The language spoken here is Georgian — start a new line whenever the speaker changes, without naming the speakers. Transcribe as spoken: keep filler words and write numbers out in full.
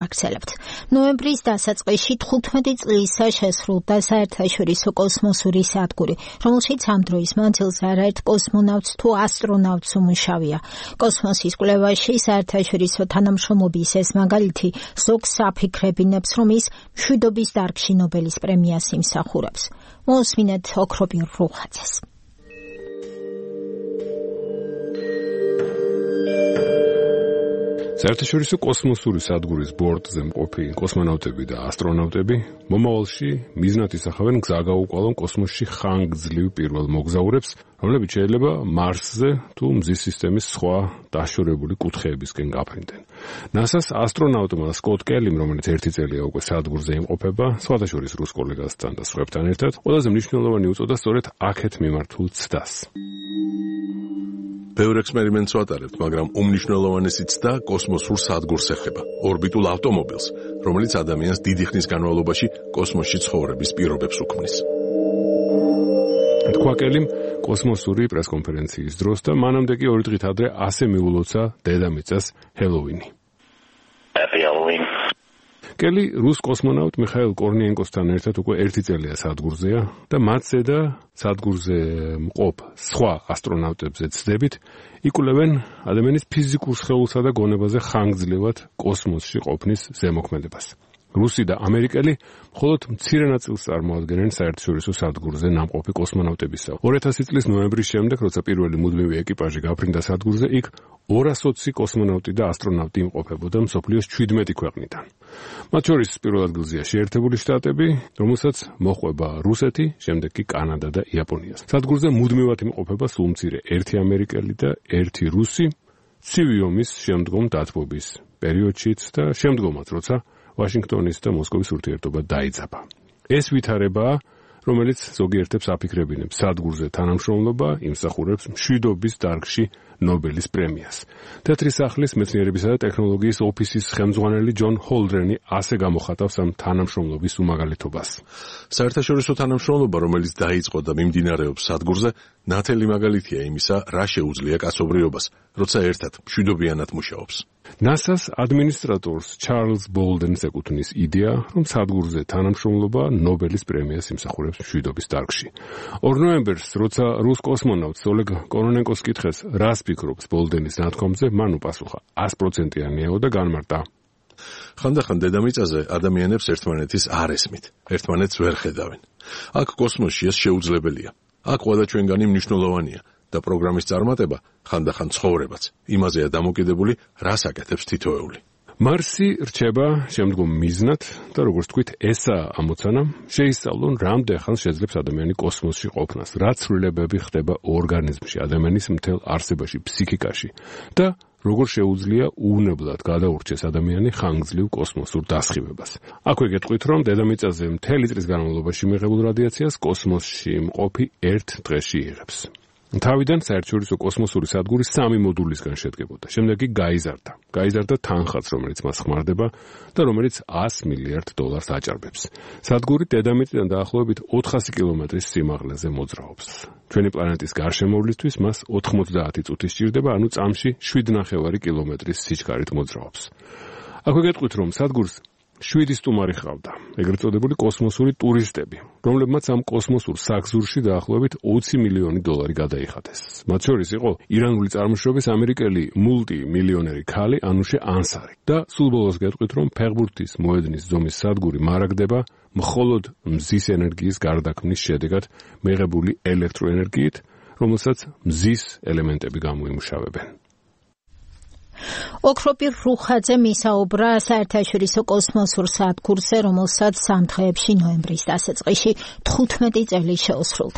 გავაგრძელებთ. ნოემბრის დასაწყისში თხუთმეტი წლისა შესრულდა საერთაშორისო კოსმოსური სადგური, რომელშიც ამ დროის მანძილზე არაერთ კოსმონავტს თუ ასტრონავტს უმუშავია. კოსმოსის კვლევაში საერთაშორისო თანამშრომლობის ეს მაგალითი ზოგს აფიქრებინებს, რომ ის მშვიდობის დარგში ნობელის პრემიას იმსახურებს. მოусმინეთ ოქრობირ რუხაძეს.
საერთაშორისო კოსმოსური სადგურის ბორტზე მყოფი კოსმონავტები და ასტრონავტები მომავალში მიზნად ისახავენ გზაგაუყვალონ კოსმოსში ხანგრძლივ პირველ მოგზაურებს, რომლებიც შეიძლება მარსზე თუ მზის სისტემის სხვა დაშორებული კუთხეებისკენ გაფრინდნენ. ნასას ასტრონავტმა სკოტ კელიმ, რომელიც ერთი წელია უკვე სადგურზე იმყოფება, სხვათა შორის რუს კოლეგასთან და სხვებთან ერთად, ყველაზე მნიშვნელოვანი უწოდა სწორედ აქეთ მიმართულ ცდას.
ბევრ ექსპერიმენტს ვატარებთ, მაგრამ უმნიშვნელოვანესი ცდა კოსმოსურ სადგურს ეხება, ორბიტულ ავტომობილს, რომელიც ადამიანს დიდი ხნის განმავლობაში კოსმოსში ცხოვრების პირობებს უქმნის.
თქვა კელიმ კოსმოსური პრესკონფერენციის დროს და მანამდე კი ორი დღით ადრე ასე მიულოცა დედამიწას ჰელოვინი.
Happy Halloween.
კელი რუს კოსმონავტ მიხაილ კორნიენკოსთან ერთად უკვე ერთი წელია სადგურზეა და მათზე და სადგურზე მყოფ სხვა ასტრონავტებზე ცდებით იკვლევენ ადამიანის ფიზიკურ სხეულსა და გონებაზე ხანგრძლივად კოსმოსში ყოფნის ზემოქმედებას. რუსი და ამერიკელი მხოლოდ მცირე ნაწილს წარმოადგენენ საერთაშორისო სადგურზე ნამყოფი კოსმონავტებისა. ორი ათასი წლის ნოემბრის შემდეგ, როცა პირველი მუდმივი ეკიპაჟი გაფრინდა სადგურზე, იქ ორას ოცი კოსმონავტი და ასტრონავტი იმყოფებოდა მსოფლიოს ჩვიდმეტი ქვეყნიდან. მათ შორის პირველ ადგილზეა შეერთებული შტატები, რომელსაც მოჰყვება რუსეთი, შემდეგ კი კანადა და იაპონია. სადგურზე მუდმივად იმყოფება სულ მცირე ერთი ამერიკელი და ერთი რუსი, ცივი ომის შემდგომ დათბობის პერიოდშიც და შემდგომაც, როცა ვაშინგტონის და მოსკოვის ურთიერთობა დაიძაბა. ეს ვითარებაა, რომელიც ზოგიერთებს აფიქრებინებს სადგურზე თანამშრომლობა იმსახურებს მშვიდობის დარგში ნობელის პრემიას. თეთრი სახლის მეცნიერებისა და ტექნოლოგიის ოფისის ხელმძღვანელი ჯონ ჰოლდრენი ასე გამოხატავს ამ თანამშრომლობის უმაგალითობას.
საერთაშორისო თანამშრომლობა, რომელიც დაიწყო და მიმდინარეობს სადგურზე, ნათელი მაგალითია იმისა, რა შეუძლია კაცობრიობას, როცა ერთად მშვიდობიანად მუშაობს.
ნასას ადმინისტრატორს ჩარლზ ბოლდენს ეკუთვნის იდეა, რომ სადგურზე თანამშრომლობა ნობელის პრემიას იმსახურებს მშვიდობის დარგში. ორ ნოემბერს, როცა რუს კოსმონავტს ოლეგ კორონენკოს კითხეს, რას ფიქრობს ბოლდენის ნათქვამზე, მან უპასუხა, ას პროცენტიანიაო და განმარტა.
ხანდახან დედამიწაზე ადამიანებს ერთმანეთის არ ესმით, ერთმანეთს ვერ ხედავენ. აქ კოსმოსში ეს შეუძლებელია. აქ ყველა ჩვენგანი მნიშვნელოვანია. და პროგრამის წარმატება ხანდახან ცხოვრებაც. იმაზეა დამოკიდებული, რას აკეთებს თითოეული.
მარსი რჩება შემდგომ მიზნად და როგორც თქვით, ესაა ამოცანა, შეისწავლონ რამდენ ხანს შეძლებს ადამიანი კოსმოსში ყოფნას, რა ცვლილებები ხდება ორგანიზმში, ადამიანის მთელ არსებაში, ფსიქიკაში და როგორ შეუძლია უვნებლად გადაურჩეს ადამიანი ხანგრძლივ კოსმოსურ დასხივებას. აქვე გეტყვით, რომ დედამიწაზე მთელი წლის განმავლობაში მიღებულ რადიაციას კოსმოსში მყოფი ერთ დღეში იღებს. თავიდან საერთაშორისო კოსმოსური სადგური სამი მოდულისგან შედგებოდა. შემდეგ კი გაიზარდა. გაიზარდა თანხაც, რომელიც მას ხმარდება და რომელიც ას მილიარდ დოლარს აჭარბებს. სადგური დედამიწიდან დაახლოებით ოთხასი კილომეტრის სიმაღლეზე მოძრაობს. ჩვენი პლანეტის გარშემოვლისთვის მას ოთხმოცდაათი წუთი სჭირდება, ანუ წამში შვიდ ნახევარი კილომეტრის სიჩქარით მოძრაობს. აქვე გეტყვით, რომ სადგურს შვიდი სტუმარი ჰყავდა, ეგრეთ წოდებული კოსმოსური ტურისტები, რომლებმაც ამ კოსმოსურ საგზურში დაახლოებით ოცი მილიონი დოლარი გადაიხადეს. მათ შორის იყო ირანული წარმოშობის ამერიკელი მულტიმილიონერი ქალი ანუშე ანსარი. და სულ ბოლოს გეტყვით, რომ ფეხბურთის მოედნის ზომის სადგური მარაგდება მხოლოდ მზის ენერგიის გარდაქმნის შედეგად მიღებული ელექტროენერგიით, რომელსაც მზის ელემენტები გამოიმუშავებენ.
ოქროპირ რუხაძე მისაუბრა საერთაშორისო კოსმოსურ სადგურზე, რომელსაც სამ დღეებში ნოემბრის დასაწყისში თხუთმეტი წელი შეუსრულდა.